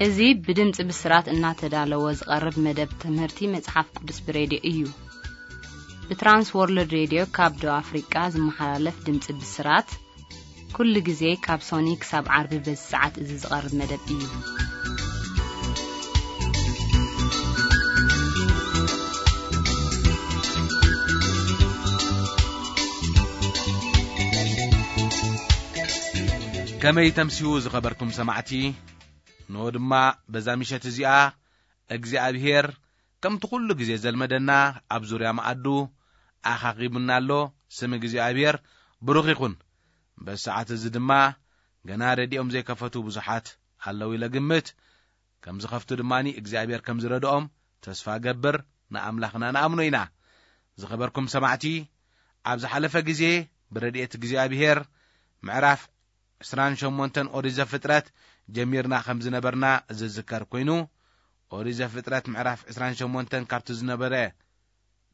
እዚ ብድምፂ ብስራት እናተዳለወ ዝቐርብ መደብ ትምህርቲ መጽሓፍ ቅዱስ ብሬድዮ እዩ። ብትራንስ ወርልድ ሬድዮ ካብ ደቡብ ኣፍሪቃ ዝመሓላለፍ ድምፂ ብስራት፣ ኩሉ ግዜ ካብ ሶኒ ክሳብ ዓርቢ በዚ ሰዓት እዚ ዝቐርብ መደብ እዩ። ከመይ ተምስዩ ዝኸበርኩም ሰማዕቲ? ንሆ ድማ በዛ ምሸት እዚኣ እግዚኣብሔር ከምቲ ኩሉ ግዜ ዘልመደና ኣብ ዙርያ መኣዱ ኣኻኺቡና ኣሎ። ስም እግዚኣብሔር ብሩኽ ይኹን። በዚ ሰዓት እዚ ድማ ገና ረድኦም ዘይከፈቱ ብዙሓት ኣለዉ ኢለ ግምት። ከም ዝኸፍቱ ድማ እግዚኣብሔር ከም ዝረድኦም ተስፋ ገብር። ንኣምላኽና ንኣምኖ ኢና። ዝኸበርኩም ሰማዕቲ፣ ኣብ ዝሓለፈ ግዜ ብረድኤት እግዚኣብሔር ምዕራፍ ዕስራን ሸሞንተን ኦሪት ዘፍጥረት ጀሚርና ከም ዝነበርና ዝዝከር ኮይኑ፣ ኦሪት ዘፍጥረት ምዕራፍ ዕስራን ሸሞንተን ካብቲ ዝነበረ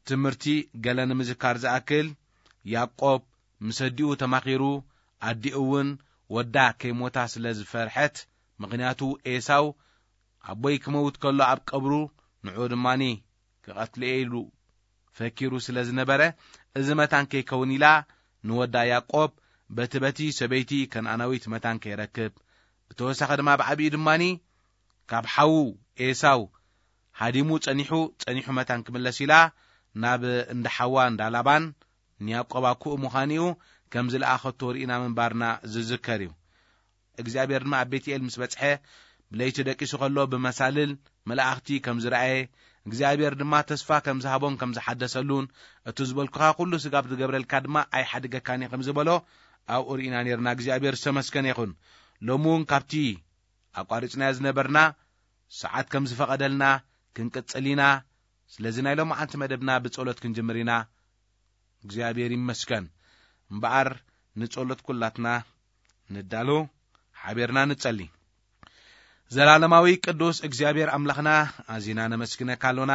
ትምህርቲ ገለ ንምዝካር ዝኣክል፣ ያዕቆብ ምስ ኣዲኡ ተማኺሩ፣ ኣዲኡ እውን ወዳ ከይሞታ ስለ ዝፈርሐት፣ ምኽንያቱ ኤሳው ኣቦይ ክመውት ከሎ ኣብ ቀብሩ ንዑ ድማኒ ክቐትል'የ ኢሉ ፈኪሩ ስለ ዝነበረ፣ እዚ መታን ከይከውን ኢላ ንወዳ ያዕቆብ በቲ በቲ ሰበይቲ ከነኣናዊት መታን ከይረክብ፣ ብተወሳኺ ድማ ብዓቢኡ ድማኒ ካብ ሓዉ ኤሳው ሃዲሙ ጸኒሑ፣ ጸኒሑ መታን ክምለስ ኢላ ናብ እንዳ ሓዋ እንዳ ላባን ንያዕቆብ ኣኩኡ ምዃኑ'ዩ ከም ዝለኣኸቶ ርኢና ምንባርና ዝዝከር እዩ። እግዚኣብሔር ድማ ኣብ ቤትኤል ምስ በጽሐ፣ ብለይቲ ደቂሱ ከሎ ብመሳልል መላእኽቲ ከም ዝረኣየ፣ እግዚኣብሔር ድማ ተስፋ ከም ዝሃቦን ከም ዝሓደሰሉን፣ እቲ ዝበልኩኻ ኩሉ ስጋብ ዝገብረልካ ድማ ኣይሓድገካን እየ ከም ዝበሎ ኣብኡ ርኢና ነርና። እግዚኣብሔር ዝተመስገነ ይኹን። ሎሚ እውን ካብቲ ኣቋሪጽናዮ ዝነበርና ሰዓት ከም ዝፈቐደልና ክንቅጽል ኢና። ስለዚ ናይ ሎማዓንቲ መደብና ብጸሎት ክንጅምር ኢና። እግዚኣብሔር ይመስገን። እምበኣር ንጸሎት ኩላትና ንዳሎ፣ ሓቢርና ንጸሊ። ዘላለማዊ ቅዱስ እግዚኣብሔር ኣምላኽና፣ ኣዚና ነመስግነካ ኣሎና።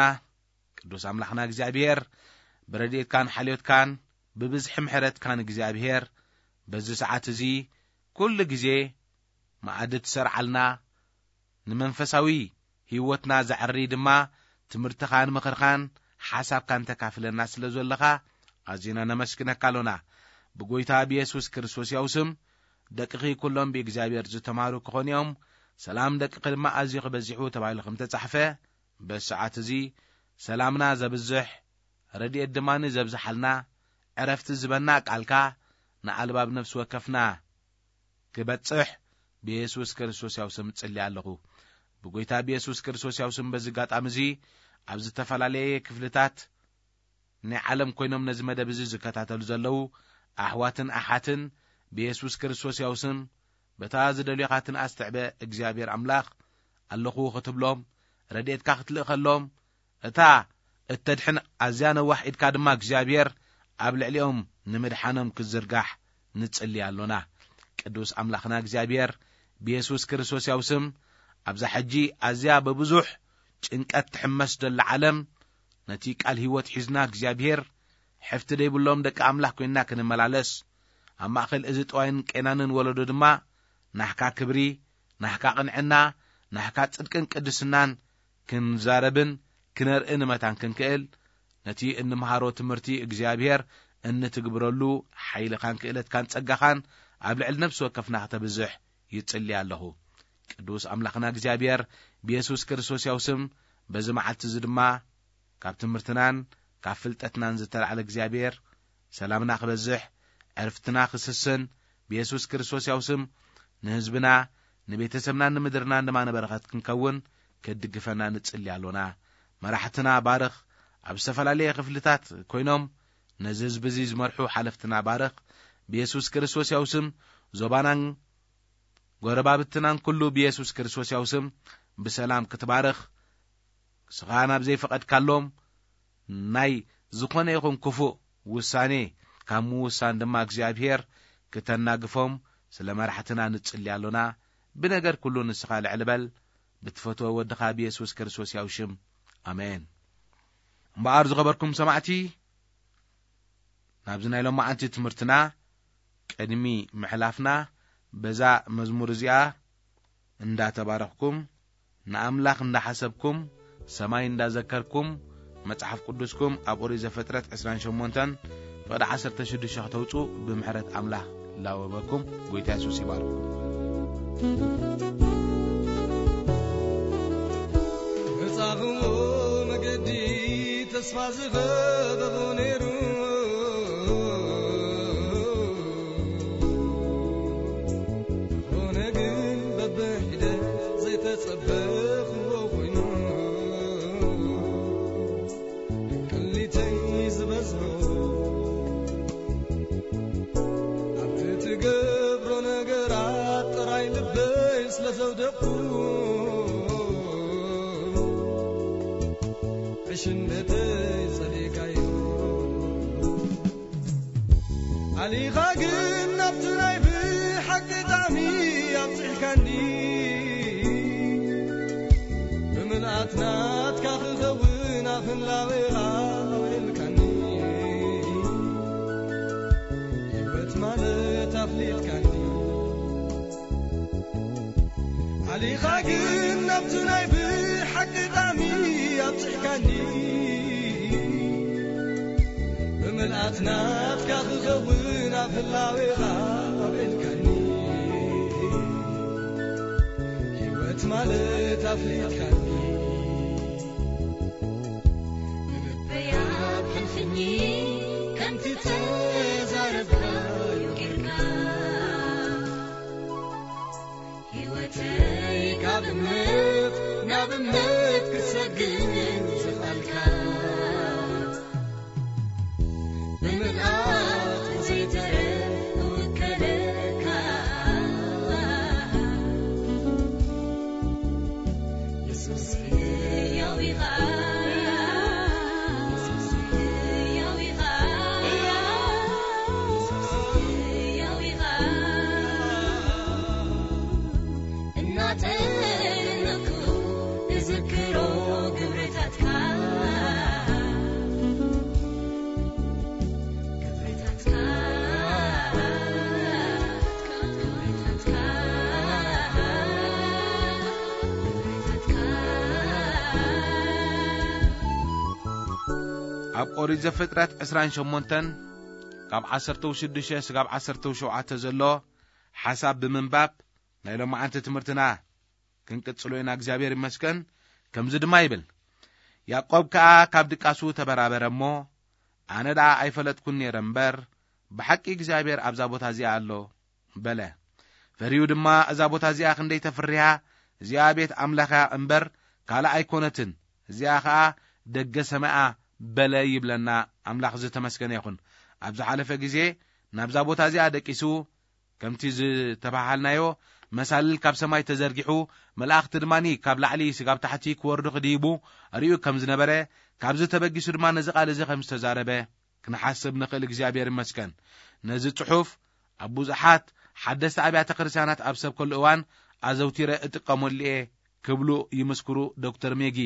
ቅዱስ ኣምላኽና እግዚኣብሔር፣ ብረድኤትካን ሓልዮትካን ብብዝሒ ምሕረትካን እግዚኣብሔር፣ በዚ ሰዓት እዚ ኩሉ ግዜ መኣዲ ትሰርዓልና፣ ንመንፈሳዊ ህይወትና ዘዕሪ ድማ ትምህርትኻን ምኽርኻን ሓሳብካን ተካፍለና ስለ ዘለኻ ኣዚና ነመስግነካ ኣሎና። ብጎይታ ብየሱስ ክርስቶስ ያው ስም ደቅኺ ኩሎም ብእግዚኣብሔር ዝተማሩ ክኾኑ እዮም፣ ሰላም ደቅኺ ድማ ኣዝዩ ክበዚሑ ተባሂሉ ከም ተጻሕፈ፣ በዚ ሰዓት እዚ ሰላምና ዘብዝሕ፣ ረድኤት ድማ ንዘብዝሓልና፣ ዕረፍቲ ዝበና ቃልካ ንኣልባብ ነፍሲ ወከፍና ክበጽሕ ብየሱስ ክርስቶስ ያው ስም ጽሊ ኣለኹ። ብጎይታ ብየሱስ ክርስቶስ ያው ስም በዚ ኣጋጣሚ እዚ ኣብ ዝተፈላለየ ክፍልታት ናይ ዓለም ኮይኖም ነዚ መደብ እዚ ዝከታተሉ ዘለዉ ኣሕዋትን ኣሓትን ብየሱስ ክርስቶስ ያው ስም በታ ዝደልዮኻ ትንኣስ ትዕበ እግዚኣብሔር ኣምላኽ ኣለኹ ክትብሎም፣ ረድኤትካ ክትልእኸሎም፣ እታ እተድሕን ኣዝያ ነዋሕ ኢድካ ድማ እግዚኣብሔር ኣብ ልዕሊኦም ንምድሓኖም ክትዝርጋሕ ንጽሊ ኣሎና። ቅዱስ ኣምላኽና እግዚኣብሔር ብየሱስ ክርስቶስ ያው ስም ኣብዛ ሕጂ ኣዝያ ብብዙሕ ጭንቀት ትሕመስ ዘላ ዓለም ነቲ ቃል ህይወት ሒዝና እግዚኣብሔር ሕፍቲ ደይብሎም ደቂ ኣምላኽ ኮይንና ክንመላለስ ኣብ ማእከል እዚ ጠዋይን ቄናንን ወለዶ ድማ ናህካ ክብሪ፣ ናህካ ቅንዕና፣ ናህካ ጽድቅን ቅድስናን ክንዛረብን ክነርኢ ንመታን ክንክእል፣ ነቲ እንምሃሮ ትምህርቲ እግዚኣብሔር እንትግብረሉ ሓይልኻን ክእለትካን ጸጋኻን ኣብ ልዕሊ ነፍሲ ወከፍና ክተብዝሕ ይጽሊ ኣለኹ። ቅዱስ ኣምላኽና እግዚኣብሔር ብየሱስ ክርስቶስ ያው ስም በዚ መዓልቲ እዚ ድማ ካብ ትምህርትናን ካብ ፍልጠትናን ዝተላዕለ እግዚኣብሔር ሰላምና ክበዝሕ ዕርፍትና ክስስን ብየሱስ ክርስቶስ ያው ስም ንህዝብና ንቤተሰብናን ንምድርናን ድማ ንበረኸት ክንከውን ክትድግፈና ንጽሊ ኣሎና። መራሕትና ባርኽ፣ ኣብ ዝተፈላለየ ክፍልታት ኮይኖም ነዚ ህዝቢ እዚ ዝመርሑ ሓለፍትና ባርኽ። ብየሱስ ክርስቶስ ያው ስም ዞባናን ጎረባብትናን ኩሉ ብየሱስ ክርስቶስ ያው ስም ብሰላም ክትባርኽ፣ ንስኻ ናብ ዘይፈቐድካሎም ናይ ዝኾነ ይኹን ክፉእ ውሳኔ ካብ ምውሳን ድማ እግዚኣብሔር ክተናግፎም ስለ መራሕትና ንጽሊ ኣሎና። ብነገር ኩሉ ንስኻ ልዕሊ በል፣ ብትፈትዎ ወድኻ ብየሱስ ክርስቶስ ያው ሽም። ኣሜን። እምበኣር ዝኸበርኩም ሰማዕቲ፣ ናብዚ ናይ ሎማዓንቲ ትምህርትና ቅድሚ ምሕላፍና በዛ መዝሙር እዚኣ እንዳተባረኽኩም ንኣምላኽ እንዳሓሰብኩም፣ ሰማይ እንዳዘከርኩም፣ መጽሓፍ ቅዱስኩም ኣብ ኦሪት ዘፍጥረት ዕስራን ሸሞንተን ፍቕዲ ዓሰርተ ሽዱሽተ ከተውጹ ብምሕረት ኣምላኽ ላወበኩም። ጎይታ የሱስ ይባርኩም። መጻኹ መገዲ ተስፋ ዝኸበቦ ነይሩ። ዝኾነ ግን በብሒደ ዘይተጸበኽዎ ኮይኑ። ቅሊተይ ዝበዝሖ ኣብቲ ትገብሮ ነገራት ጥራይ ልበይ ስለ ዘውደቕኩ። ዕሽነተይ ጸሊእካዮ። ኣሊኻ ግን ናብቲ ናይ ብሓቂ ጣዕሚ ኣብጺሕካኒ። ብምልኣት ናትካ ክኸውን ኣፍን ላዌኻ ኣውዒልካኒ። ህይወት ማለት ኣፍሊጥካኒ። ኣሊኻ ግን ናብቲ ናይ ብሓቂ ጣዕሚ ኣብጺሕካኒ። ብምልኣት ናትካ ክኸውን ኣብ ህላዌኻ ኣውዒልካኒ። ህይወት ማለት ኣፍሊጥካኒ። ንልበይ ኣብ ሕልፍኝ ከምቲ ተዛረብካዮ ጌርካ። ህይወተይ ካብ እምነት ናብ እምነት ክሰግር ዝኸኣልካ። ብምልኣት ዘይተረፍ እውከለካ። የሱስ ሕያው ኢኻ። የሱስ ሕያው ኢኻ። የሱስ ሕያው ኢኻ። እናጠነኩ እዝክሮ ግብርታትካ። ግብርታትካ። ግብርታትካ። ግብርታትካ። ኣብ ኦሪት ዘፍጥረት ዕስራን ሸሞንተን ካብ ዓሰርተ ሽዱሽተ ስጋብ ዓሰርተ ሸውዓተ ዘሎ ሓሳብ ብምንባብ ናይ ሎማዓንቲ ትምህርትና ክንቅጽሎ ኢና። እግዚኣብሔር ይመስገን። ከምዚ ድማ ይብል፣ ያዕቆብ ከኣ ካብ ድቃሱ ተበራበረ እሞ፣ ኣነ ደኣ ኣይፈለጥኩን ነይረ እምበር፣ ብሓቂ እግዚኣብሔር ኣብዛ ቦታ እዚኣ ኣሎ በለ። ፈሪሁ ድማ፣ እዛ ቦታ እዚኣ ክንደይ ተፍርያ፣ እዚኣ ቤት ኣምላኽ እያ እምበር ካልእ ኣይኮነትን፣ እዚኣ ኸኣ ደገ ሰማያ በለ ይብለና። ኣምላኽ ዝተመስገነ ይኹን። ኣብ ዝሓለፈ ግዜ ናብዛ ቦታ እዚኣ ደቂሱ ከምቲ ዝተባሃልናዮ፣ መሳልል ካብ ሰማይ ተዘርጊሑ፣ መላእኽቲ ድማ ካብ ላዕሊ ስጋብ ታሕቲ ክወርዱ ክድይቡ ኣርእዩ ከም ዝነበረ፣ ካብዚ ተበጊሱ ድማ ነዚ ቃል እዚ ከም ዝተዛረበ ክንሓስብ ንኽእል። እግዚኣብሔር ይመስገን። ነዚ ጽሑፍ ኣብ ብዙሓት ሓደስቲ ኣብያተ ክርስቲያናት ኣብ ሰብከሉ እዋን ኣዘውቲረ እጥቀመሉ እየ ክብሉ ይምስክሩ ዶክተር ሜጊ።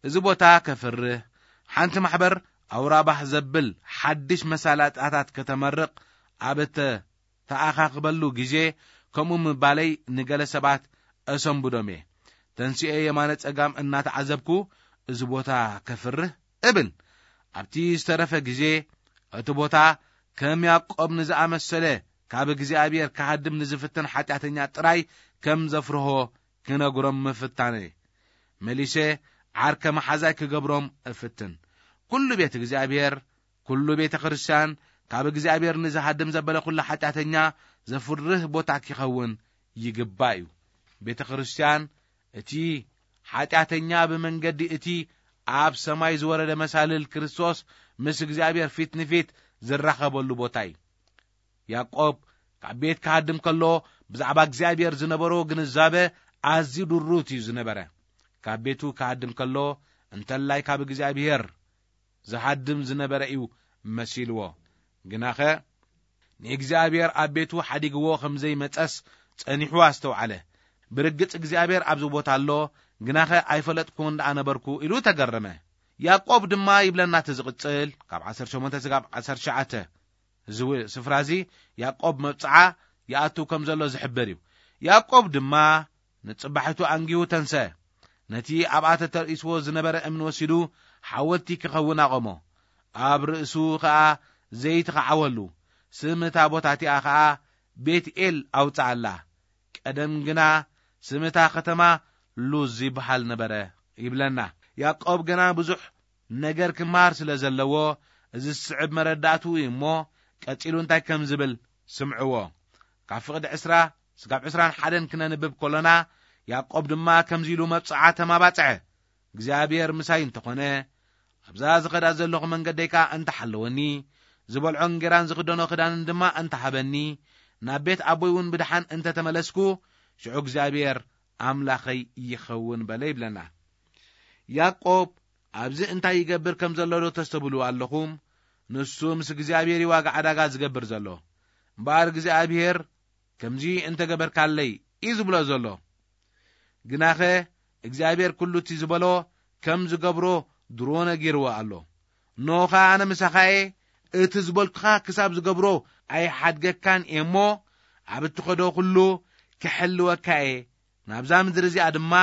እዚ ቦታ ከፍርህ፣ ሓንቲ ማሕበር ኣውራባህ ዘብል ሓድሽ መሳለጥያታት ከተመርቕ ኣብ እተ ተኣኻኽበሉ ግዜ ከምኡ ምባለይ ንገለ ሰባት እሰንብዶም እየ። ተንሲኤ የማነ ጸጋም እናተዓዘብኩ፣ እዚ ቦታ ከፍርህ እብል። ኣብቲ ዝተረፈ ግዜ፣ እቲ ቦታ ከም ያዕቆብ ንዝኣመሰለ ካብ እግዚኣብሔር ክሃድም ንዝፍትን ሓጢኣተኛ ጥራይ ከም ዘፍርሆ ክነግሮም ምፍታነይ። መሊሰ ዓርከ መሓዛይ ክገብሮም እፍትን። ኩሉ ቤት እግዚኣብሔር፣ ኩሉ ቤተ ክርስቲያን፣ ካብ እግዚኣብሔር ንዝሃድም ዘበለ ኩሉ ሓጢኣተኛ ዘፍርህ ቦታ ኪኸውን ይግባእ እዩ። ቤተ ክርስቲያን፣ እቲ ሓጢኣተኛ ብመንገዲ እቲ ኣብ ሰማይ ዝወረደ መሳልል ክርስቶስ ምስ እግዚኣብሔር ፊት ንፊት ዝራኸበሉ ቦታ እዩ። ያዕቆብ ካብ ቤት ክሃድም ከሎ ብዛዕባ እግዚኣብሔር ዝነበሮ ግንዛበ ኣዝዩ ድሩት እዩ ዝነበረ። ካብ ቤቱ ክሃድም ከሎ እንተላይ ካብ እግዚኣብሔር ዝሃድም ዝነበረ እዩ መሲልዎ። ግናኸ ንእግዚኣብሔር ኣብ ቤቱ ሓዲግዎ ከም ዘይመጸስ ጸኒሑ ኣስተውዓለ። ብርግጽ እግዚኣብሔር ኣብዚ ቦታ ኣሎ፣ ግናኸ ኣይፈለጥኩን ደኣ ነበርኩ ኢሉ ተገረመ። ያዕቆብ ድማ ይብለና እቲ ዝቕጽል፣ ካብ ዓሰርተ ሸሞንተ ስጋብ ዓሰርተ ትሽዓተ፣ እዚ ው-፣ ስፍራ እዚ ያዕቆብ መብጽዓ ይኣቱ ከም ዘሎ ዝሕብር እዩ። ያዕቆብ ድማ ንጽባሒቱ ኣንጊሁ ተንሰ። ነቲ ኣብኣ ተተርኢስዎ ዝነበረ እምኒ ወሲዱ ሓወልቲ ክኸውን ኣቖሞ። ኣብ ርእሱ ኸኣ ዘይትኸዓወሉ፣ ስም እታ ቦታ እቲኣ ኸኣ ቤት-ኤል ኣውጽኣላ። ቀደም ግና ስም እታ ኸተማ ሉዝ ይበሃል ነበረ ይብለና። ያዕቆብ ገና ብዙሕ ነገር ክመሃር ስለ ዘለዎ፣ እዚ ዝስዕብ መረዳእትኡ እዩ እሞ፣ ቀጺሉ እንታይ ከም ዝብል ስምዕዎ። ካብ ፍቕዲ ዕስራ ስጋብ ዕስራን ሓደን ክነንብብ ከሎና፣ ያዕቆብ ድማ ከምዚ ኢሉ መብጽዓ ተማባጽዐ። እግዚኣብሔር ምሳይ እንተኾነ፣ ኣብዛ ዝኸዳ ዘለኹ መንገደይ ከኣ እንተሓለወኒ፣ ዝበልዖ እንጌራን ዝኽደኖ ክዳንን ድማ እንተሃበኒ፣ ናብ ቤት ኣቦይ እውን ብድሓን እንተተመለስኩ፣ ሽዑ እግዚኣብሔር ኣምላኸይ ይኸውን በለ ይብለና። ያዕቆብ ኣብዚ እንታይ ይገብር ከም ዘሎ ዶ ተስተብህሉ ኣለኹም? ንሱ ምስ እግዚኣብሔር እዩ ዋጋ ዕዳጋ ዝገብር ዘሎ። እምበኣር እግዚኣብሔር ከምዚ እንተገበርካለይ እዩ ዝብሎ ዘሎ። ግናኸ እግዚኣብሔር ኩሉ እቲ ዝበሎ ከም ዝገብሮ ድሮ ነጊርዎ ኣሎ። እንሆ ኸኣ ኣነ ምሳኻ እየ፣ እቲ ዝበልኩኻ ክሳብ ዝገብሮ ኣይሓድገካን እየ እሞ፣ ኣብ እትኸዶ ኩሉ ክሕልወካ እየ፣ ናብዛ ምድሪ እዚኣ ድማ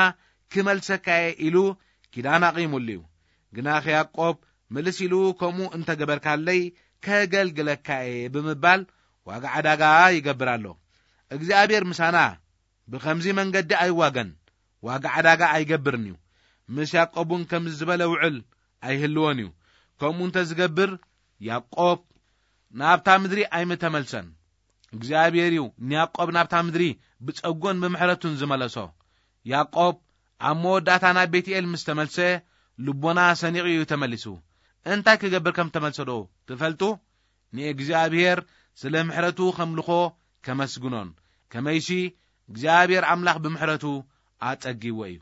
ክመልሰካ እየ ኢሉ ኪዳን ኣቒሙሉ እዩ። ግናኸ ያዕቆብ ምልስ ኢሉ ከምኡ እንተገበርካለይ ከገልግለካ እየ ብምባል ዋጋ ዕዳጋ ይገብር ኣሎ። እግዚኣብሔር ምሳና ብኸምዚ መንገዲ ኣይዋገን፣ ዋጋ ዕዳጋ ኣይገብርን እዩ። ምስ ያዕቆብ እውን ከምዚ ዝበለ ውዕል ኣይህልዎን እዩ። ከምኡ እንተ ዝገብር ያዕቆብ ናብታ ምድሪ ኣይምተመልሰን። እግዚኣብሔር እዩ ንያዕቆብ ናብታ ምድሪ ብጸጎን ብምሕረቱን ዝመለሶ። ያዕቆብ ኣብ መወዳእታ ናብ ቤትኤል ምስ ተመልሰ ልቦና ሰኒቑ እዩ ተመሊሱ። እንታይ ክገብር ከም ተመልሰ ዶ ትፈልጡ? ንእግዚኣብሔር ስለ ምሕረቱ ከምልኾ ከመስግኖን ከመይሲ እግዚኣብሔር ኣምላኽ ብምሕረቱ ኣጸጊዎ እዩ።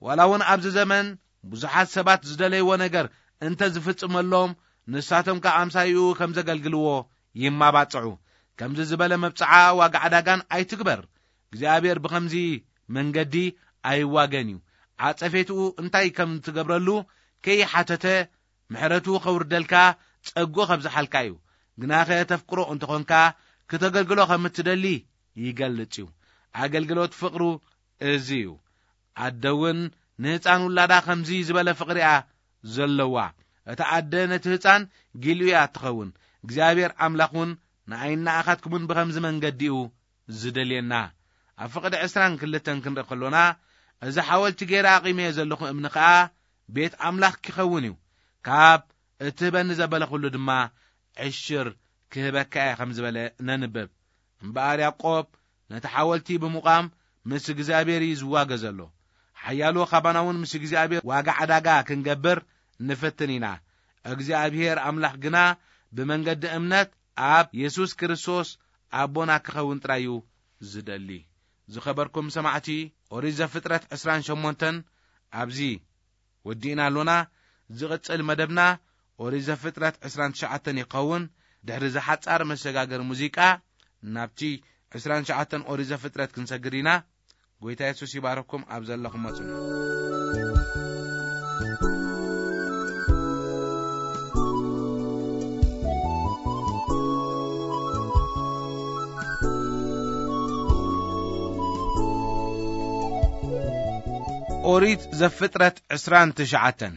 ዋላ እውን ኣብዚ ዘመን ብዙሓት ሰባት ዝደለይዎ ነገር እንተ ዝፍጽመሎም ንሳቶም ከኣ ኣምሳይኡ ከም ዘገልግልዎ ይማባጽዑ። ከምዚ ዝበለ መብጽዓ ዋጋ ዕዳጋን ኣይትግበር። እግዚኣብሔር ብኸምዚ መንገዲ ኣይዋገን እዩ። ዓጸፌትኡ እንታይ ከም ትገብረሉ ከይሓተተ ምሕረቱ ከውርደልካ ጸጉ ከብዝሓልካ እዩ። ግናኸ ተፍቅሮ እንተኾንካ ክተገልግሎ ከም እትደሊ ይገልጽ እዩ። ኣገልግሎት ፍቕሩ እዚ እዩ። ኣደ እውን ንህፃን ውላዳ ከምዚ ዝበለ ፍቕሪ እያ ዘለዋ። እታ ኣደ ነቲ ህፃን ጊልኡ እያ እትኸውን። እግዚኣብሔር ኣምላኽ እውን ንኣይን ንኣኻትኩምን ብኸምዚ መንገዲ እዩ ዝደልየና። ኣብ ፍቕዲ ዕስራን ክልተን ክንርኢ ከሎና፣ እዚ ሓወልቲ ገይረ ኣቒመዮ ዘለኹ እምኒ ኸኣ ቤት ኣምላኽ ክኸውን እዩ። ካብ እትህበኒ ዘበለ ኹሉ ድማ ዕሽር ክህበካ እየ ከም ዝበለ ነንብብ። እምበኣር ያዕቆብ ነቲ ሓወልቲ ብምቋም ምስ እግዚኣብሔር እዩ ዝዋገ ዘሎ። ሓያሎ ካባና እውን ምስ እግዚኣብሔር ዋጋ ዕዳጋ ክንገብር ንፍትን ኢና። እግዚኣብሔር ኣምላኽ ግና ብመንገዲ እምነት ኣብ የሱስ ክርስቶስ ኣቦና ክኸውን ጥራይ እዩ ዝደሊ። ዝኸበርኩም ሰማዕቲ፣ ኦሪት ዘፍጥረት ዕስራን ሸሞንተን ኣብዚ ወዲእና ኣሎና። ዝቕጽል መደብና ኦሪት ዘፍጥረት ዕስራን ትሽዓተን ይኸውን። ድሕሪ ዝሓጻር መሰጋገሪ ሙዚቃ ናብቲ ዕስራን ትሽዓተን ኦሪት ዘፍጥረት ክንሰግር ኢና። ጎይታ የሱስ ይባረኩም። ኣብ ዘለኹሞ ጽንሑ። ኦሪት ዘፍጥረት ዕስራን ትሽዓተን።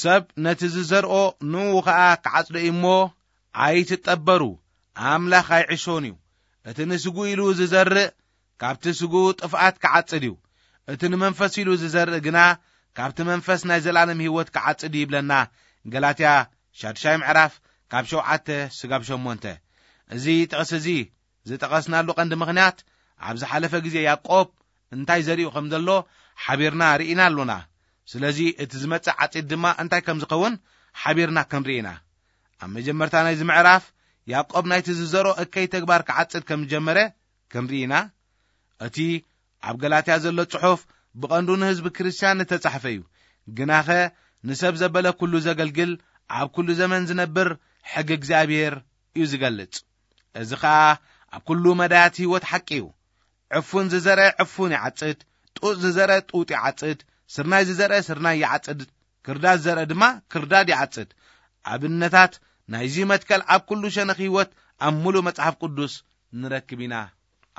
ሰብ ነቲ ዝዘርኦ ንኡ ኸኣ ክዓጽዶ እዩ እሞ፣ ኣይትጠበሩ፣ ኣምላኽ ኣይዕሾን እዩ። እቲ ንስጉ ኢሉ ዝዘርእ፣ ካብቲ ስጉ ጥፍኣት ክዓጽድ እዩ። እቲ ንመንፈስ ኢሉ ዝዘርእ ግና፣ ካብቲ መንፈስ ናይ ዘለኣለም ህይወት ክዓጽድ እዩ ይብለና። ገላትያ ሻድሻይ ምዕራፍ ካብ ሸውዓተ ስጋብ ሸሞንተ። እዚ ጥቕሲ እዚ ዝጠቐስናሉ ቀንዲ ምኽንያት፣ ኣብ ዝሓለፈ ግዜ ያዕቆብ እንታይ ዘሪኡ ከም ዘሎ ሓቢርና ርኢና ኣሎና። ስለዚ እቲ ዝመጽእ ዓጺድ ድማ እንታይ ከም ዝኸውን ሓቢርና ክንርኢ ኢና። ኣብ መጀመርታ ናይዚ ምዕራፍ ያዕቆብ ናይቲ ዝዘሮ እከይ ተግባር ክዓጽድ ከም ዝጀመረ ክንርኢ ኢና። እቲ ኣብ ገላትያ ዘሎ ጽሑፍ ብቐንዱ ንህዝቢ ክርስትያን እተጻሕፈ እዩ። ግናኸ ንሰብ ዘበለ ኩሉ ዘገልግል፣ ኣብ ኩሉ ዘመን ዝነብር ሕጊ እግዚኣብሔር እዩ ዝገልጽ። እዚ ኸኣ ኣብ ኩሉ መዳያት ህይወት ሓቂ እዩ። ዕፉን ዝዘርአ ዕፉን ይዓጽድ፣ ጡጥ ዝዘርአ ጡጥ ይዓጽድ፣ ስርናይ ዝዘርአ ስርናይ ይዓጽድ፣ ክርዳድ ዝዘርአ ድማ ክርዳድ ይዓጽድ። ኣብነታት ናይዚ መትከል ኣብ ኩሉ ሸነኽ ህይወት ኣብ ሙሉእ መጽሓፍ ቅዱስ ንረክብ ኢና።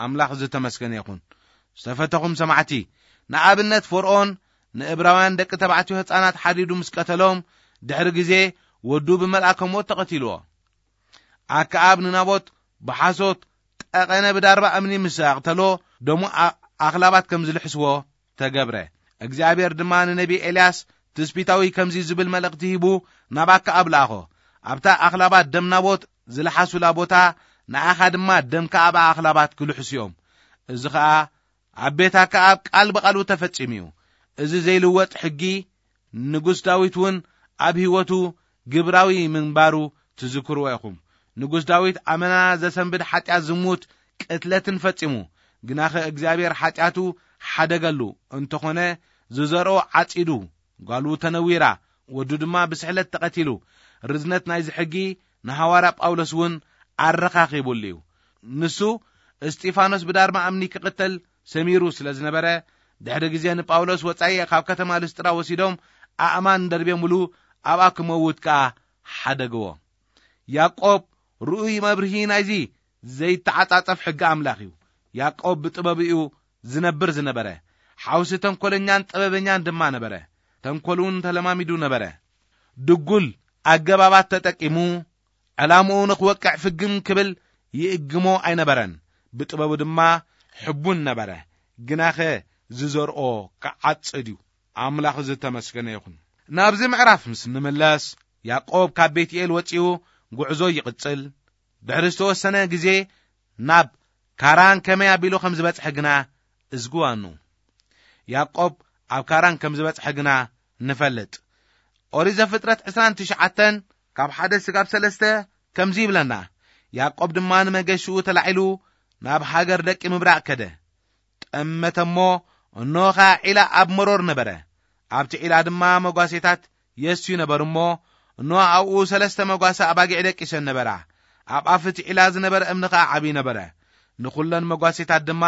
ኣምላኽ ዝተመስገነ ይኹን። ዝተፈተኹም ሰማዕቲ፣ ንኣብነት ፈርኦን ንእብራውያን ደቂ ተባዕትዮ ህፃናት ሓዲዱ ምስ ቀተሎም፣ ድሕሪ ግዜ ወዱ ብመልኣከ ሞት ተቐቲልዎ። ኣከኣብ ንናቦት ብሓሶት ጠቐነ ብዳርባ እምኒ ምስ ኣቕተሎ፣ ደሙ ኣ-፣ ኣኽላባት ከም ዝልሕስዎ ተገብረ። እግዚኣብሔር ድማ ንነቢ ኤልያስ ትስቢታዊ ከምዚ ዝብል መልእኽቲ ሂቡ ናብ ኣከኣብ ለኣኾ። ኣብታ ኣኽላባት ደም ናቦት ዝለሓሱላ ቦታ ንኣኻ ድማ ደምካ ኣብ ኣኽላባት ክልሕሱ እዮም። እዚ ኸኣ ኣብ ቤት ኣከኣብ ቃል ብቓሉ ተፈጺሙ እዩ። እዚ ዘይልወጥ ሕጊ ንጉስ ዳዊት እውን ኣብ ህይወቱ ግብራዊ ምንባሩ ትዝክርዎ ኢኹም። ንጉስ ዳዊት ኣመና ዘሰንብድ ሓጢኣት፣ ዝሙት፣ ቅትለትን ፈጺሙ። ግናኸ እግዚኣብሔር ሓጢኣቱ ሓደገሉ። እንተኾነ ዝዘርኦ ዓጺዱ፣ ጓሉ ተነዊራ፣ ወዱ ድማ ብስሕለት ተቐቲሉ። ርዝነት ናይዚ ሕጊ ንሃዋርያ ጳውሎስ እውን ኣረኻኺቡሉ እዩ። ንሱ እስጢፋኖስ ብዳርማ እምኒ ክቕተል ሰሚሩ ስለ ዝነበረ፣ ድሕሪ ግዜ ንጳውሎስ ወጻኢ ካብ ከተማ ልስጥራ ወሲዶም ኣእማን ደርብዮምሉ፣ ኣብኣ ክመውት ከኣ ሓደግዎ። ያዕቆብ ርኡይ መብርሂ ናይዚ ዘይተዓጻጸፍ ሕጊ ኣምላኽ እዩ። ያዕቆብ ብጥበቡ እዩ ዝነብር ዝነበረ። ሓውሲ ተንኮለኛን ጥበበኛን ድማ ነበረ። ተንኮል እውን ተለማሚዱ ነበረ። ድጉል ኣገባባት ተጠቂሙ፣ ዕላምኡ ንኽወቅዕ ፍግም ክብል ይእግሞ ኣይነበረን። ብጥበቡ ድማ ሕቡን ነበረ። ግናኸ ዝዘርኦ ክዓጽድ እዩ። ኣምላኽ ዝተመስገነ ይኹን። ናብዚ ምዕራፍ ምስ እንምለስ፣ ያዕቆብ ካብ ቤትኤል ወጺኡ ጉዕዞ ይቕጽል። ድሕሪ ዝተወሰነ ግዜ ናብ ካራን ከመይ ኣቢሉ ከም ዝበጽሐ ግና እዝግዋኑ። ያዕቆብ ኣብ ካራን ከም ዝበጽሐ ግና ንፈልጥ። ኦሪት ዘፍጥረት ዕስራን ትሽዓተን ካብ ሓደ ስጋብ ሰለስተ ከምዚ ይብለና፣ ያዕቆብ ድማ ንመገሽኡ ተላዒሉ ናብ ሃገር ደቂ ምብራቕ ከደ። ጠመተ እሞ፣ እንሆ ኸኣ ዒላ ኣብ መሮር ነበረ። ኣብቲ ዒላ ድማ መጓሴታት የስትዩ ነበሩ እሞ፣ እንሆ ኣብኡ ሰለስተ መጓሰ ኣባጊዕ ደቂሰን ነበራ። ኣብ ኣፍ እቲ ዒላ ዝነበረ እምኒ ኸኣ ዓብዪ ነበረ። ንኹለን መጓሴታት ድማ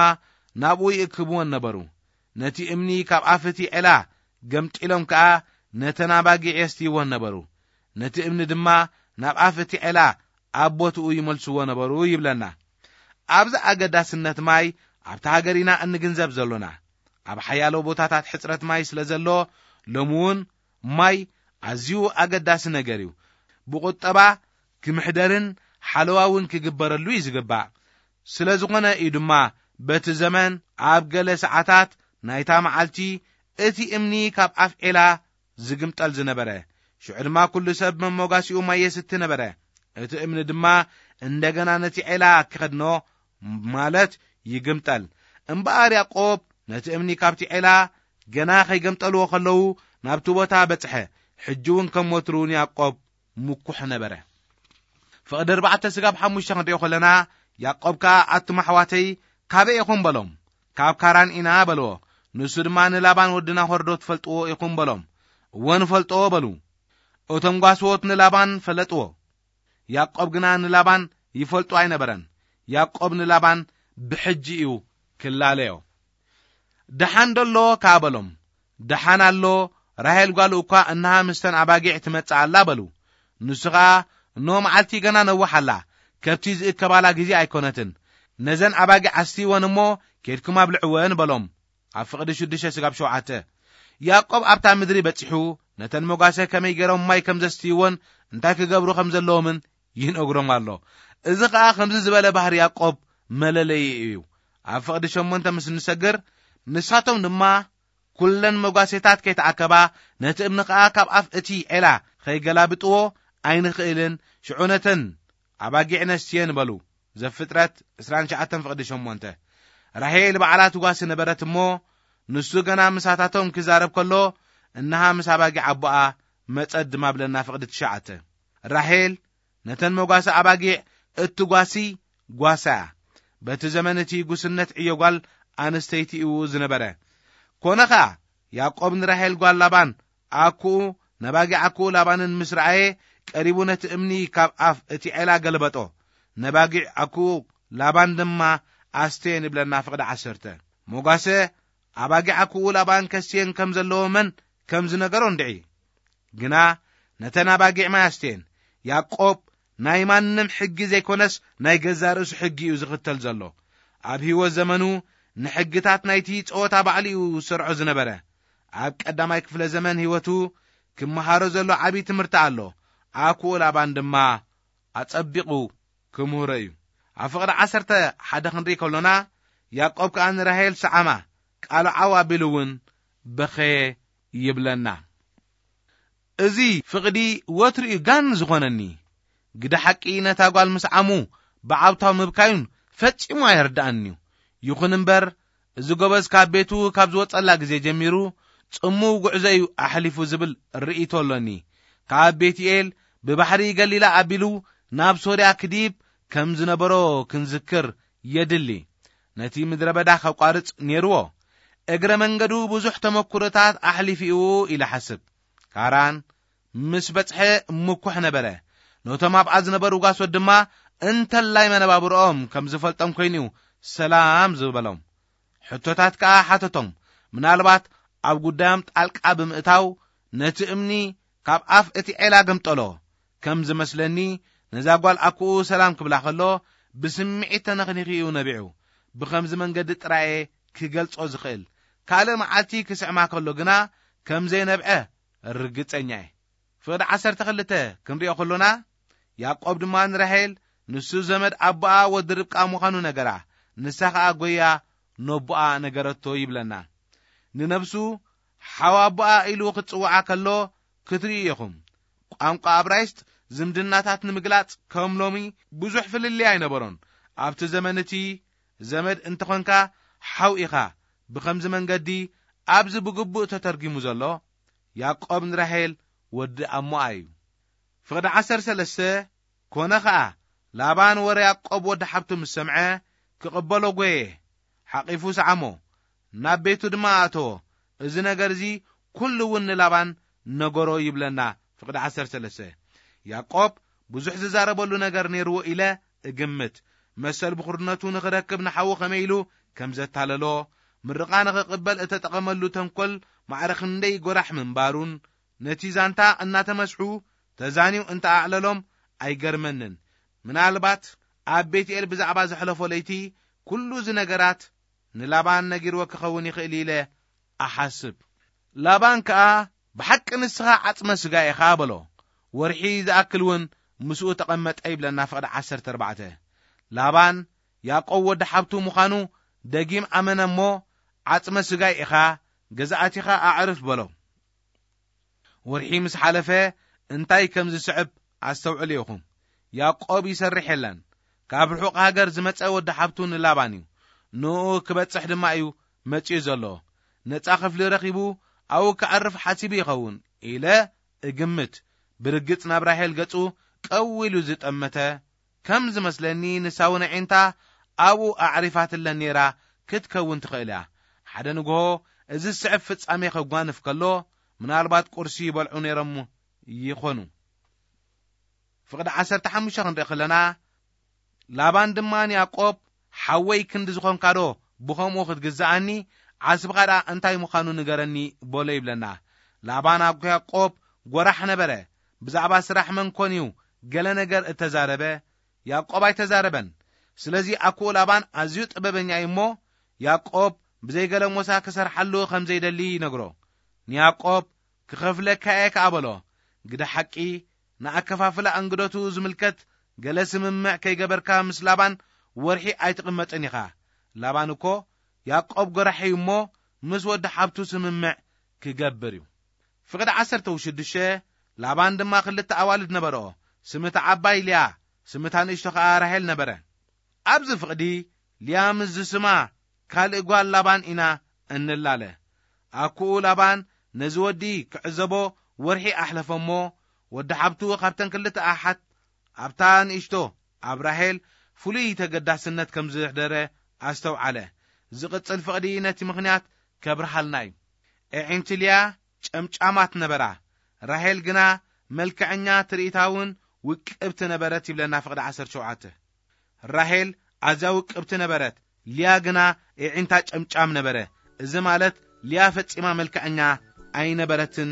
ናብኡ ይእክብወን ነበሩ። ነቲ እምኒ ካብ ኣፍ እቲ ዒላ ገምጢሎም ከኣ ነተን ኣባጊዕ የስትይወን ነበሩ። ነቲ እምኒ ድማ ናብ ኣፍ እቲ ዒላ ኣብ ቦትኡ ይመልስዎ ነበሩ ይብለና። ኣብዚ ኣገዳስነት ማይ ኣብታ ሃገር ኢና እንግንዘብ ዘሎና። ኣብ ሓያሎ ቦታታት ሕጽረት ማይ ስለ ዘሎ፣ ሎሚ እውን ማይ ኣዝዩ ኣገዳሲ ነገር እዩ። ብቁጠባ ክምሕደርን ሓለዋ እውን ክግበረሉ እዩ ዝግባእ። ስለ ዝኾነ እዩ ድማ በቲ ዘመን ኣብ ገለ ሰዓታት ናይታ መዓልቲ እቲ እምኒ ካብ ኣፍ ዒላ ዝግምጠል ዝነበረ። ሽዑ ድማ ኩሉ ሰብ መሞጋሲኡ ማይ የስቲ ነበረ። እቲ እምኒ ድማ እንደገና ነቲ ዒላ ክኸድኖ፣ ማለት ይግምጠል። እምበኣር ያዕቆብ ነቲ እምኒ ካብቲ ዒላ ገና ከይገምጠልዎ ከለዉ ናብቲ ቦታ በጽሐ። ሕጂ እውን ከም ወትሩ ንያዕቆብ ምኩሕ ነበረ። ፍቕዲ ኣርባዕተ ስጋብ ሓሙሽተ ክንሪኦ ከለና፣ ያዕቆብ ከኣ ኣቱም ኣሕዋተይ ካበይ ኢኹም በሎም። ካብ ካራን ኢና በልዎ። ንሱ ድማ ንላባን ወዲ ናሆር ዶ ትፈልጥዎ ኢኹም በሎም። እወ ንፈልጦ በሉ። እቶም ጓስዎት ንላባን ፈለጥዎ። ያዕቆብ ግና ንላባን ይፈልጦ ኣይነበረን። ያዕቆብ ንላባን ብሕጂ እዩ ክላለዮ። ደሓን ደሎ ከኣ በሎም። ደሓን ኣሎ፣ ራሄል ጓሉ እኳ እንሃ ምስተን ኣባጊዕ ትመጽእ ኣላ በሉ። ንሱ ኸኣ እኖ መዓልቲ ገና ነውሕ ኣላ፣ ከብቲ ዝእከባላ ግዜ ኣይኮነትን። ነዘን ኣባጊዕ ኣስትይወን እሞ ኬድኩም ኣብልዕወን በሎም። ኣብ ፍቕዲ ሽዱሽተ ስጋብ ሸውዓተ። ያዕቆብ ኣብታ ምድሪ በጺሑ ነተን መጓሰ ከመይ ገይሮም ማይ ከም ዘስትይወን እንታይ ክገብሩ ከም ዘለዎምን ይነግሮም ኣሎ። እዚ ኸኣ ከምዚ ዝበለ ባህሪ ያዕቆብ መለለዪ እዩ። ኣብ ፍቕዲ ሸሞንተ ምስ ንሰግር፣ ንሳቶም ድማ ኩለን መጓሴታት ከይተኣከባ፣ ነቲ እምኒ ኸኣ ካብ ኣፍ እቲ ዔላ ኸይገላብጥዎ ኣይንኽእልን፣ ሽዑ ነተን ኣባጊዕ ነስትየን በሉ። ዘፍጥረት ዕስራን ትሽዓተን ፍቕዲ ሸሞንተ። ራሄል ባዕላ ትጓሲ ነበረት እሞ፣ ንሱ ገና ምሳታቶም ክዛረብ ከሎ፣ እንሃ ምስ ኣባጊዕ ኣቦኣ መጸት ድማ ብለና ፍቕዲ ትሽዓተ። ራሄል ነተን መጓሰ ኣባጊዕ እትጓሲ ጓሳ እያ። በቲ ዘመን እቲ ጉስነት ዕዮ ጓል ኣንስተይቲ እዩ ዝነበረ። ኮነ ኸኣ፣ ያዕቆብ ንራሄል ጓል ላባን ኣኩኡ፣ ነባጊዕ ኣኩኡ ላባንን ምስ ረኣየ፣ ቀሪቡ ነቲ እምኒ ካብ ኣፍ እቲ ዔላ ገልበጦ። ነባጊዕ ኣኩኡ ላባን ድማ ኣስተየን ይብለና ፍቕዲ ዓሰርተ። መጓሰ ኣባጊዕ ኣኩኡ ላባን ከስትየን ከም ዘለዎ መን ከም ዝነገሮ እንድዒ። ግና ነተን ኣባጊዕ ማይ ኣስተየን። ያዕቆብ ናይ ማንም ሕጊ ዘይኮነስ ናይ ገዛእ ርእሱ ሕጊ እዩ ዝኽተል ዘሎ። ኣብ ህይወት ዘመኑ ንሕግታት ናይቲ ጸወታ ባዕሉ እዩ ዝሰርዖ ዝነበረ። ኣብ ቀዳማይ ክፍለ ዘመን ህይወቱ ክመሃሮ ዘሎ ዓብዪ ትምህርቲ ኣሎ። ኣኩኡ ላባን ድማ ኣጸቢቑ ክምህሮ እዩ። ኣብ ፍቕዲ ዓሰርተ ሓደ ክንርኢ ከሎና፣ ያዕቆብ ከኣ ንራሄል ሰዓማ፣ ቃሉ ዓው ኣቢሉ እውን በኸየ ይብለና። እዚ ፍቕዲ ወትሩ እዩ ጋን ዝኾነኒ። ግደ ሓቂ ነታ ጓል ምስ ዓሙ ብዓውታው ምብካዩን ፈጺሙ ኣይርድኣንን'ዩ። ይኹን እምበር፣ እዚ ጎበዝ ካብ ቤቱ ካብ ዝወጸላ ግዜ ጀሚሩ፣ ጽምው ጉዕዞ እዩ ኣሕሊፉ ዝብል ርእይቶ ኣሎኒ። ካብ ቤትኤል ብባሕሪ ገሊላ ኣቢሉ ናብ ሶርያ ክድይብ ከም ዝነበሮ ክንዝክር የድሊ። ነቲ ምድረ በዳ ከቋርጽ ነይርዎ። እግረ መንገዱ ብዙሕ ተመኩሮታት ኣሕሊፉ እዩ ኢለ ሓስብ። ካራን ምስ በጽሐ ምኩሕ ነበረ። ነቶም ኣብኣ ዝነበሩ ጓሶት ድማ እንተላይ መነባብሮኦም ከም ዝፈልጦም ኮይኑ እዩ ሰላም ዝበሎም። ሕቶታት ከኣ ሓተቶም። ምናልባት ኣብ ጉዳዮም ጣልቃ ብምእታው ነቲ እምኒ ካብ ኣፍ እቲ ዔላ ገምጠሎ። ከም ዝመስለኒ፣ ነዛ ጓል ኣኩኡ ሰላም ክብላ ከሎ ብስምዒት ተነኽኒኺ እዩ ነቢዑ። ብኸምዚ መንገዲ ጥራየ ክገልጾ ዝኽእል። ካልእ መዓልቲ ክስዕማ ከሎ ግና ከም ዘይነብዐ ርግጸኛ እየ። ፍቕዲ ዓሰርተ ክልተ ክንሪኦ ከሎና፣ ያዕቆብ ድማ ንራሄል ንሱ ዘመድ ኣቦኣ ወዲ ርብቃ ምዃኑ ነገራ። ንሳ ኸኣ ጐያ ነቦኣ ነገረቶ ይብለና። ንነብሱ ሓው ኣቦኣ ኢሉ ክጽውዓ ከሎ ክትርእዩ ኢኹም። ቋንቋ እብራይስጥ ዝምድናታት ንምግላጽ ከም ሎሚ ብዙሕ ፍልልይ ኣይነበሮን። ኣብቲ ዘመን እቲ ዘመድ እንተኾንካ ሓው ኢኻ። ብኸምዚ መንገዲ ኣብዚ ብግቡእ ተተርጊሙ ዘሎ ያዕቆብ ንራሄል ወዲ ኣሞኣ እዩ። ፍቕዲ ዓሰርተ ሰለስተ፣ ኮነ ኸኣ ላባን ወረ ያዕቆብ ወዲ ሓብቱ ምስ ሰምዐ ክቕበሎ ጐየ፣ ሓቒፉ ሰዓሞ፣ ናብ ቤቱ ድማ ኣእተዎ። እዚ ነገር እዚ ኩሉ እውን ንላባን ነገሮ ይብለና። ፍቕዲ ዓሰርተ ሰለስተ፣ ያዕቆብ ብዙሕ ዝዛረበሉ ነገር ነይርዎ ኢለ እግምት። መሰል ብኹርነቱ ንኽረክብ ንሓዉ ከመይ ኢሉ ከም ዘታለሎ፣ ምርቓ ንኽቕበል እተጠቐመሉ ተንኮል ማዕረ ክንደይ ጎራሕ ምንባሩን፣ ነቲ ዛንታ እናተመስሑ ተዛንዩ እንተ ኣዕለሎም ኣይገርመንን። ምናልባት ኣብ ቤትኤል ብዛዕባ ዘሕለፎ ለይቲ ኩሉ እዚ ነገራት ንላባን ነጊርዎ ክኸውን ይኽእል ኢለ እሓስብ። ላባን ከኣ፣ "ብሓቂ ንስኻ ዓጽመ ስጋ ኢኻ" በሎ። ወርሒ ዝኣክል እውን ምስኡ ተቐመጠ ይብለና ፍቕዲ ዓሰርተ ኣርባዕተ። ላባን ያዕቆብ ወዲ ሓብቱ ምዃኑ ደጊም ኣመነ እሞ፣ "ዓጽመ ስጋይ ኢኻ፣ ገዛእቲኻ ኣዕርፍ" በሎ። ወርሒ ምስ ሓለፈ እንታይ ከም ዝስዕብ ኣስተውዕሉ ኢኹም። ያዕቆብ ይሰርሕ የለን። ካብ ርሑቕ ሃገር ዝመጸ ወዲ ሓብቱ ንላባን እዩ። ንኡ ክበጽሕ ድማ እዩ መጺኡ ዘሎ። ነጻ ክፍሊ ረኺቡ ኣብኡ ክዓርፍ ሓሲቡ ይኸውን ኢለ እግምት። ብርግጽ ናብ ራሄል ገጹ ቀው ኢሉ ዝጠመተ ከም ዝመስለኒ፣ ንሳ እውን ኣዒንታ ኣብኡ ኣዕሪፋትለን ነይራ ክትከውን ትኽእል እያ። ሓደ ንግሆ እዚ ዝስዕብ ፍጻሜ ከጓንፍ ከሎ፣ ምናልባት ቁርሲ ይበልዑ ነይሮም ይኾኑ። ፍቕዲ ዓሰርተ ሓሙሽተ ክንርኢ ከለና፣ ላባን ድማ ንያዕቆብ፣ "ሓወይ ክንዲ ዝኾንካዶ ብኸምኡ ክትግዝኣኒ? ዓስብኻ ደኣ እንታይ ምዃኑ ንገረኒ" በሎ ይብለና። ላባን ኣብ ያዕቆብ ጐራሕ ነበረ። ብዛዕባ ስራሕ መን ኮን እዩ ገለ ነገር እተዛረበ? ያዕቆብ ኣይተዛረበን። ስለዚ ኣኩኡ ላባን ኣዝዩ ጥበበኛ እዩ እሞ፣ ያዕቆብ ብዘይ ገለ ሞሳ ክሰርሓሉ ከም ዘይደሊ ይነግሮ። ንያዕቆብ፣ "ክኸፍለካ እየ" ከኣ በሎ። ግደ ሓቂ፣ ንኣከፋፍላ ኣንግደቱ ዝምልከት ገለ ስምምዕ ከይገበርካ ምስ ላባን ወርሒ ኣይትቕመጥን ኢኻ። ላባን እኮ ያዕቆብ ጐራሕ እዩ እሞ፣ ምስ ወዲ ሓብቱ ስምምዕ ክገብር እዩ። ፍቕዲ ዓሰርተ ሽዱሽተ፣ ላባን ድማ ክልተ ኣዋልድ ነበርኦ። ስምታ ዓባይ ልያ፣ ስምታ ንእሽቶ ኸኣ ራሄል ነበረ። ኣብዚ ፍቕዲ ልያ ምስ ዝስማ ካልእ ጓል ላባን ኢና እንላለ። ኣኩኡ ላባን ነዚ ወዲ ክዕዘቦ ወርሒ ኣሕለፈ እሞ፣ ወዲ ሓብቱ ካብተን ክልተ ኣሓት ኣብታ ንእሽቶ ኣብ ራሄል ፍሉይ ተገዳስነት ከም ዘሕደረ ኣስተውዓለ። ዝቕጽል ፍቕዲ ነቲ ምኽንያት ከብርሃልና እዩ። ኣዒንቲ ልያ ጨምጫማት ነበራ፣ ራሄል ግና መልክዐኛ፣ ትርኢታውን ውቅብቲ ነበረት ይብለና ፍቕዲ ዓሰርተ ሸውዓተ። ራሄል ኣዝያ ውቅብቲ ነበረት፣ ልያ ግና ኣዒንታ ጨምጫም ነበረ። እዚ ማለት ልያ ፈጺማ መልክዐኛ ኣይነበረትን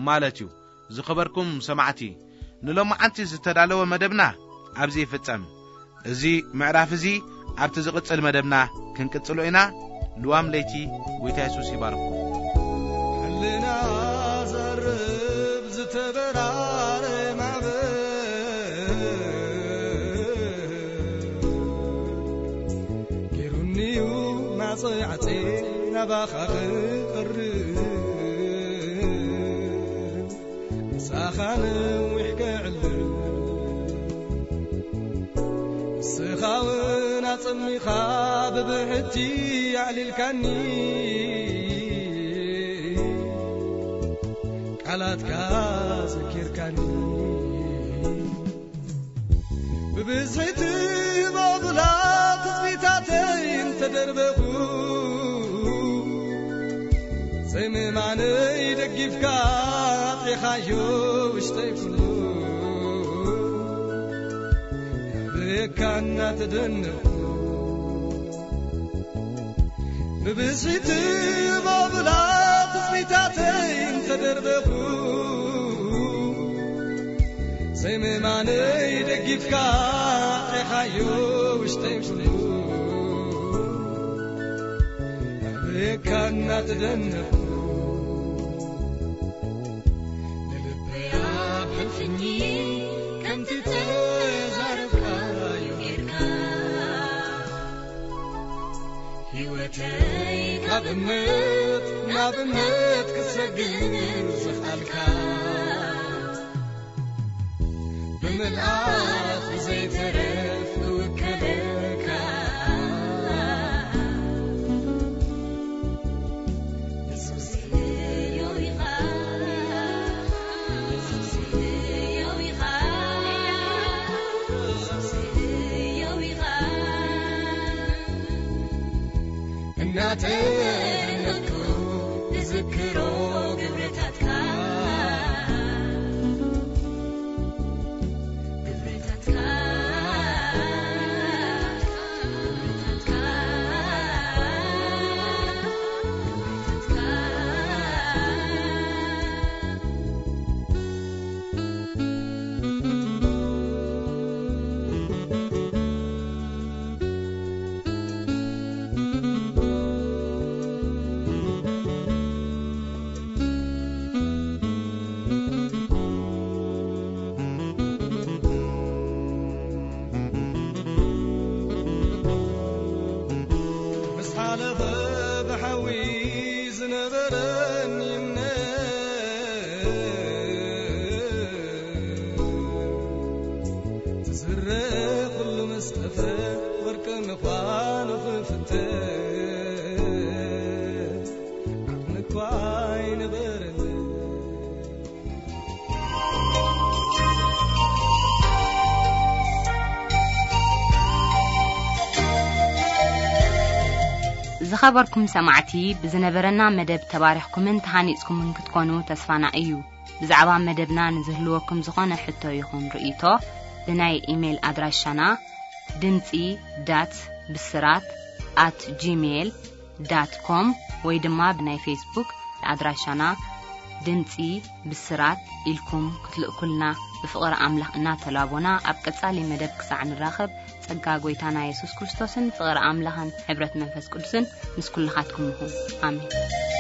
ማለት እዩ። ዝኸበርኩም ሰማዕቲ፣ ንሎማዓንቲ ዝተዳለወ መደብና ኣብዚ ይፍጸም። እዚ ምዕራፍ እዚ ኣብቲ ዝቕጽል መደብና ክንቅጽሎ ኢና። ልዋም ለይቲ። ጎይታ የሱስ ይባርኽኩም። ልናዘርብ ዝተበራረ ማዕበል ጌሩኒዩ ማዕጾይ ዓጽየ ናባኻ ክቐርብ፣ ምሳኻ ነዊሕ ክዕልል። ንስኻ እውን ኣጸሚኻ ብብሕቲ ኣዕሊልካኒ፣ ቃላትካ ዘኪርካኒ። ብብዝሒ ትህቦ ብላ ትጽቢታተይ እንተደርበኹ፣ ዘይምእማነይ ደጊፍካ ኣጥሪኻዮ ውሽጠይ ኩሉ። ብካ እናተደነኹ፣ ብብዝሒ ትህቦ ብላ ትጽቢታተይ እንተደርበኹ፣ ዘይምእማነይ ደጊፍካ ኣጥሪኻዮ ውሽጠይ ኩሉ። ብካ እናተደነኹ፣ ንልበይ ኣብ ሕልፍኒ ከምቲ ተዛረብካዮ ጌርካ፣ ህይወተይ ካብ እምነት ናብ እምነት ክትሰግር ዘኽኣልካ፣ ብምልኣት ብዘይተረፍ ክውከለካ። የሱስ ህያው ኢኻ፣ የሱስ ህያው ኢኻ፣ የሱስ ህያው ኢኻ። እናተደነቕኩ እዝክሮ ግብርታትካ፣ ግብርታትካ፣ ግብርታትካ፣ ግብርታትካ። ምስ ሓለፈ ብሓዊ ዝነበረኒ እምነት፣ ትዝረ ኩሉ ምስ ጠፍአ፣ ወርቂ ምዃኑ ክፍተን ዓቕሚ እኳ ኣይነበረንን። ዝኸበርኩም ሰማዕቲ፣ ብዝነበረና መደብ ተባሪኽኩምን ተሃኒጽኩምን ክትኮኑ ተስፋና እዩ። ብዛዕባ መደብና ንዝህልወኩም ዝኾነ ሕቶ ይኹን ርእይቶ፣ ብናይ ኢሜይል ኣድራሻና ድምጺ ዳት ብስራት ኣት ጂሜይል ዳት ኮም ወይ ድማ ብናይ ፌስቡክ ኣድራሻና ድምጺ ብስራት ኢልኩም ክትልእኩልና ብፍቕሪ ኣምላኽ እናተላቦና፣ ኣብ ቀጻሊ መደብ ክሳዕ ንራኸብ፣ ጸጋ ጐይታና የሱስ ክርስቶስን ፍቕሪ ኣምላኽን ሕብረት መንፈስ ቅዱስን ምስ ኩልኻትኩም ይኹን። ኣሜን።